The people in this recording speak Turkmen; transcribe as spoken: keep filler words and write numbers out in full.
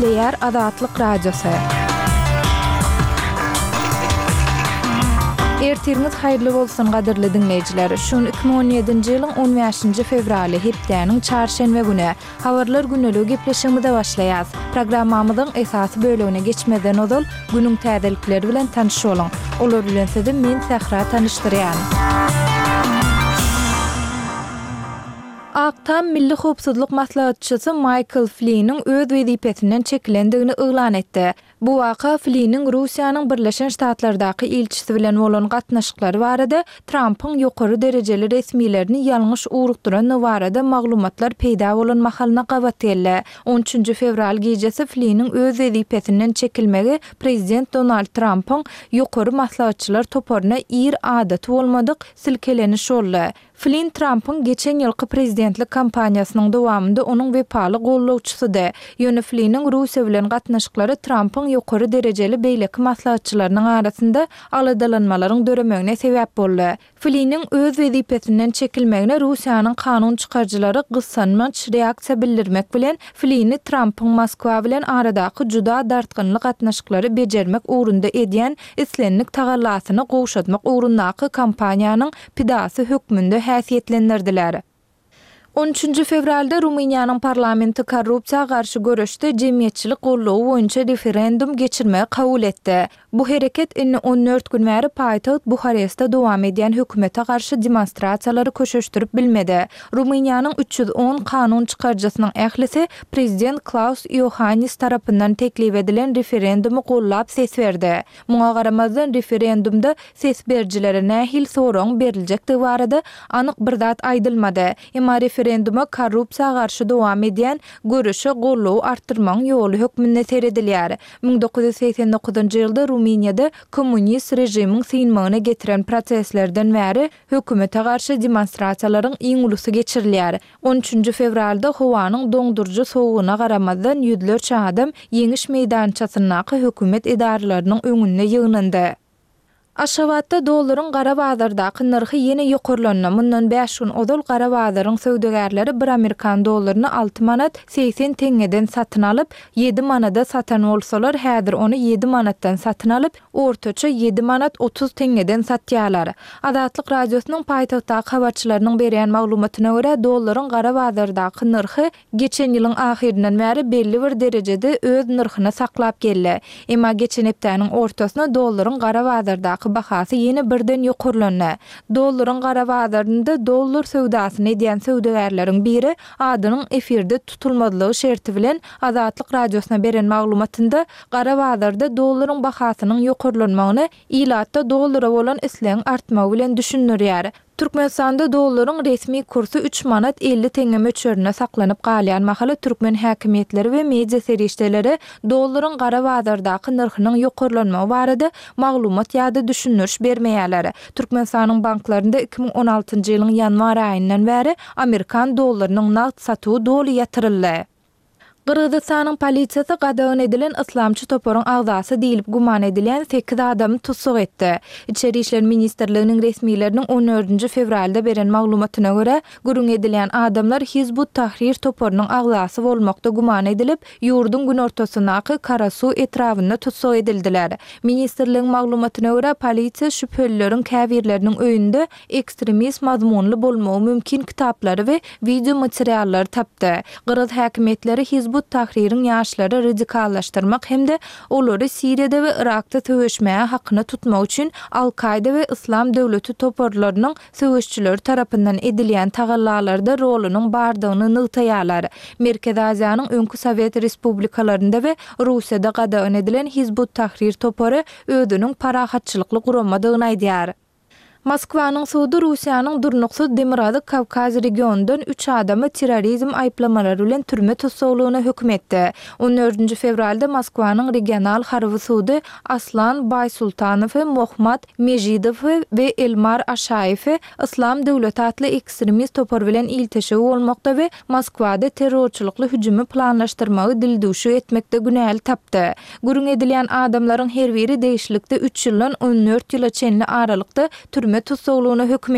Gepleýär Azatlyk Radiosy. Ertiriňiz haýyrly bolsun gadyrly diňleýjiler. Şu gün iki müň on ýedinji ýylyň on bäşinji fewraly, hepdäniň çarşenbe güni. Habarlar gündeligi gepleşigimize başlaýas. Programmamyzyň esasy bölegine geçmezden ozal, günüň täzelikleri bilen tanyş boluň. Olar bilen sizi men Sähra tanyşdyrýan. Ak Tam Milli howpsuzlyk maslahatçysy Maýkl Fliniň öz wezipesinden çekilendigini yglan etdi. Bu waka Fliniň Russiýanyň Birleşen Ştatlardaky ilçisi bilen bolan gatnaşyklary barada Trampyň ýokary derejeli resmilerini ýalňyş ugrukdyrandygy barada maglumatlar peýda bolan mahalyna gabat geldi. On üçünji fewral gijesi Fliniň öz wezipesinden çekilmegi prezident Donald Trampyň ýokary maslahatçylar toparyna ir adaty bolmadyk silkeleniş boldy. Flin Trampyň geçen ýylky prezidentlik kampaniýasynyň dowamynda onuň wepaly gollawçysydy. Ýöne Fliniň Russiýa bilen gatnaşyklary Trampyň ýokary derejeli beýleki maslahatçylarynyň arasynda aladalanmalaryň döremegine sebäp boldy. Fliniň öz wezipesinden çekilmegine Russiýanyň kanun çykaryjylary gyssanmaç reaksiýa bildirmek bilen, Flini Trampyň Moskwa bilen aradaky juda dartgynly gatnaşyklary bejermek ugrunda edýän islendik tagallasyny gowşatmak ugrundaky kampaniýanyň pidasy hökmünde häsiýetlendirdiler. On üçünji fewralda Rumyniýanyň parlamenti korrupsiýa garşy göreşde jemgyýetçilik goldawy boýunça referendum geçirmegi kabul etdi. Bu hereket indi on dört gün bäri paýtagt Buharestde dowam edýän hökümete garşy demonstrasiýalary köşeşdirip bilmedi. Rumyniýanyň üç ýüz on kanun çykaryjysynyň ählisi prezident Klaus Iohannis tarapyndan teklip edilen referendumy gollap ses berdi. Muňa garamazdan, referendumda ses berijilere nähili soragyň beriljekdigi barada anyk bir zat aýdylmady. Emma referenduma korrupsiýa garşy dowam edýän göreşe goldawy artdyrmagyň ýoly hökmünde seredilýär. Müň dokuz ýüz segsen dokuzynjy ýylda Rumyniýada kommunist režimiň synmagyna getiren protestlerden bäri hökümete garşy demonstrasiýalaryň iň ulusy geçirilýär. On üçünji fewralda howanyň doňduryjy sowugyna garamazdan ýüzlerçe adam Ýeňiş meýdançasyndaky hökümet edaralarynyň öňünde ýygnandy. Aşgabatda dollaryň gara bazardaky nyrhy ýene ýokarlandy. Mundan bäş gün ozal gara bazaryň söwdagärleri bir amerikan dollaryny alty manat segsen teňňeden satyn alyp, ýedi manada satan bolsalar, häzir ony ýedi manatdan satyn alyp, ortaça ýedi manat otuz teňňeden satýarlar. Azatlyk Radiosynyň paýtagtdaky habarçylarynyň berýän maglumatyna görä, dollaryň gara bazardaky nyrhy geçen ýylyň ahyryndan bäri belli bir derejede öz nyrhyny saklap geldi. Emma geçen hepdäniň ortasyna dollaryň gara bazardaky bahasy ýene birden ýokarlandy. Dollaryň gara bazarynda dollar söwdasyny edýän söwdagärleriň biri adynyň efirde tutulmazlygy şerti bilen Azatlyk Radiosyna beren maglumatynda gara bazarda dollaryň bahasynyň ýokarlanmagyny ilatda dollara bolan islegiň artmagy bilen düşündirýär. Türkmenistanda dollaryň resmi kursy üç manat elli teňňe möçberinde saklanyp galýan mahaly türkmen häkimiýetleri we media serişdeleri dollaryň gara bazardaky nyrhynyň ýokarlanmagy barada maglumat ýa-da düşündiriş bermeýärler. Türkmenistanyň banklarynda iki müň on altynjy ýylyň ýanwar aýyndan bäri amerikan dollarynyň nagt satuwy doly ýatyryldy. Gyrgyzystanyň polisiýasy gadagan edilen yslamçy toparyň agzasy diýlip güman edilýän sekiz adamy tussag etdi. Içeri işler ministrliginiň resmileriniň on dördünji fewralda beren maglumatyna görä, gürrüň edilýän adamlar Hizb ut-Tahrir toparynyň agzasy bolmakda güman edilip, ýurduň günortasyndaky Karasu etrabynda tussag edildiler. Ministrligiň maglumatyna görä, polisiýa şübhelileriň käbirleriniň öýünde ekstremist mazmunly bolmagy mümkin kitaplary we wideo materiallary tapdy. Gyrgyz häkimiýetleri Hizb ut-Tahririň ýaşlary radikallaşdyrmak hem-de olary Siriýada we Yrakda söweşmäge hakyna tutmak üçin Al-Kaýda we Yslam döwleti toparlarynyň söweşçileri tarapyndan edilýän tagallalarda rolunyň bardygyny nygtaýarlar. Merkezi Aziýanyň öňki Sowet respublikalarynda we Russiýada gadagan edilen Hizb ut-Tahrir topary özüniň parahatçylykly guramadygyny aýdýar. Moskwanyň sudy Russiýanyň durnuksyz Demirgazyk Kawkaz regionyndan üç adamy terrorizm aýyplamalary bilen türme tussaglygyna höküm etdi. On dördünji fewralda Moskwanyň regional harby sudy Aslan Baýsultanowy, Mohmat Mežidowy we Elmar Aşaýewi Yslam döwleti atly ekstremist topar bilen ilteşigi bolmakda we Moskwada terrorçylykly hüjümi planlaşdyrmagy dildüwşük etmekde günäli tapdy. Gürrüň edilýän adamlaryň her biri degişlilikde üç ýyldan on dört ýyla çenli aralykda türme tussaglygyna höküm